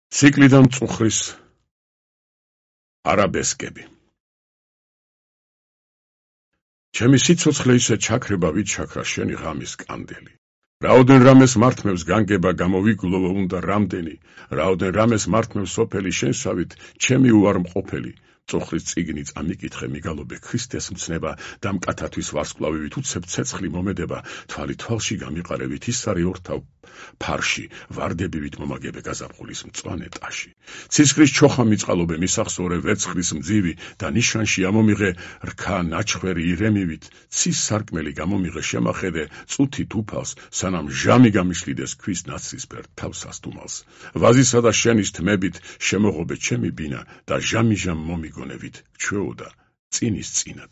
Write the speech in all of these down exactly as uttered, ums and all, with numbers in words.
ციკლიდან მწუხრის არაბესკები. ჩემი სიცოცხლე ისე ჩაქრება ვით ჩაქრა შენი ღამის კანდელი. რაოდენ რამეს მართმევს განგება გამოვიგლოვო უნდა რამდენი, რაოდენ რამეს მართმევს სოფელი შენსავით ჩემი უარმყოფელი. მწუხრის წიგნი წამიკითხე მიგალობე ქრისტეს მცნება და მკათათვის ვარსკვლავივით უცებ ცეცხლი მომედება, თვალი თვალში გამიყარებით ისარი ორთავ ფარში, ვარდებივით მომაგებე გაზაფხულის მწვანე ტაში. ცისკრის ჩოხა მიწყალობე მისახსოვრე ვერცხლის მძივი და ნიშანში ამომიღე რქა ნაჩხვერი ირემივით, ცის სარკმელი გამომიღე შემახედე წუთით უფალს, სანამ ჟამი გამიშლიდეს ქვის ნაცრისფერ თავს ასტუმალს. ვაზისა და შენის თმებით შემოღობე ჩემი ბინა და ჟამი-ჟამ მომიგონევით ჩვეოდა წინის წინად.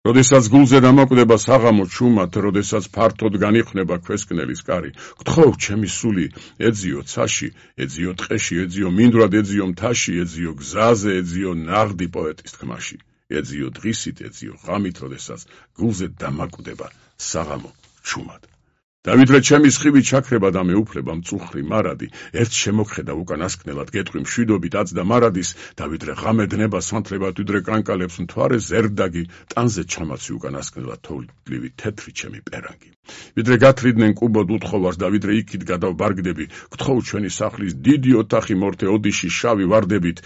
როდესაც გულზე დამაკვდება საღამო ჩუმად, როდესაც ფართოდ განიხნება ქვესკნელის კარი, გთხოვ ჩემი სული, ეძიო ცაში, ეძიო ტყეში, ეძიო მინდვრად, ეძიო მთაში, ეძიო გზაზე, ეძიო ნაღდი პოეტის თქმაში, ეძიო დღისით, ეძიო ღამით, როდესაც გულზე დამაკვდება საღამო ჩუმად. დავიდრე ჩემი სხივი ჩაქრება და მეუფლება მწუხრი მარადი, ერთ შემოგხედა უკანასკნელად გეტყვი მშვიდობით აწდა მარადის, დავიდრე ღამე დნება სანთლება თვიდრე კანკალებს მთვარე ზერდაგი, ტანზე ჩამაცი უკანასკნელად თოვლივი თეთრი ჩემი პერანგი. ვიდრე გათრიდნენ კუბოდ უთხოვარს და ვიდრე იქით გადავბარგდები, გთხოვ ჩვენი სახლის დიდი ოთახი მორთე ოდიში შავი ვარდებით,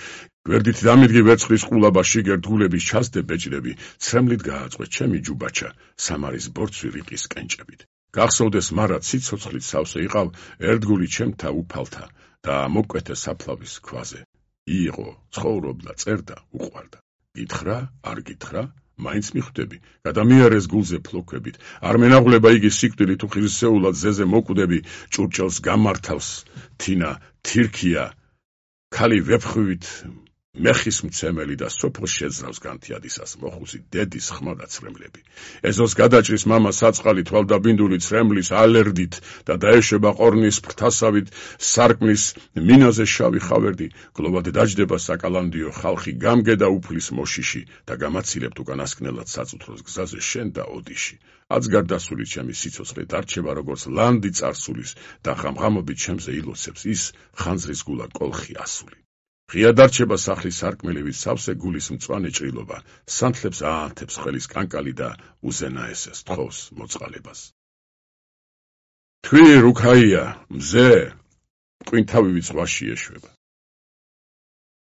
გვერდით დამიდგი ვერცხლის ყულაბა შიგერთ გულების ჩასდე ბეჭდები, ცრემლით გააწყვე ჩემი ჯუბაჩა, სამარის ბორცვი რიყის კენჭებით. გახსოვდეს მარად სიცოცხლით სავსე იყავ ერთგული ჩემთა უფალთა და მოკვეთე საფლავის ქვაზე. იყო, ცხოვრობდა, წერდა, უყვარდა. გითხრა, არ გითხრა, მაინც მიხვდები, გადამიარეს გულზე ფლოქვებით, არ მენაღვლება იგი სიკვდილით თუ ხირსეულად ზეზე მოკვდები, ჭურჭელს გამართავს, თინა, თირქია, ქალი ვეფხვივით, მეხის მცემელი და სოფელს შეძრავს განთიადისას მოხუცი დედის ხმა და ცრემლები. ეზოს გადაჭრის მამა საწყალი თვალდაბინდული ცრემლის ალერდით და დაეშვება ყორნის ფრთასავით სარკმლის მინაზე შავი ხავერდი, გლოვად დაჯდება საკალანდიო ხალხი გამგედა უფლის მოშიში და გამაცილებთ უკანასკნელად საწუთროს გზაზე შენ და ოდიში. აცგარდასული ჩემი სიცოცხლე დარჩება როგორც ლანდი წარსულის და ღამღამობით ჩემზე ილოცებს ის ხანძრის გულა კოლხი ასული. ღია დარჩება სახლის სარკმელივით სავსე გულის მწვანე ჭრილობა, სანთლებს აანთებს ხელის კანკალი და უზენაესეს თხოვს მოწყალებას. თქვი რუქაია, მზე, მყინთავივით ზღვაში ეშვება.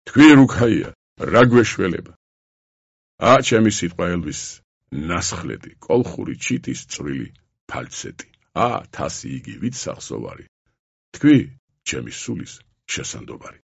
თქვი რუქაია, რა გვეშველება. ა ჩემი სიტყვა ელვის, ნასხლეტი, კოლხური ჩიტის წვრილი ფალცეტი. ა თასი იგი ვით სახსოვარი. თქვი ჩემი სულის შესანდობარი.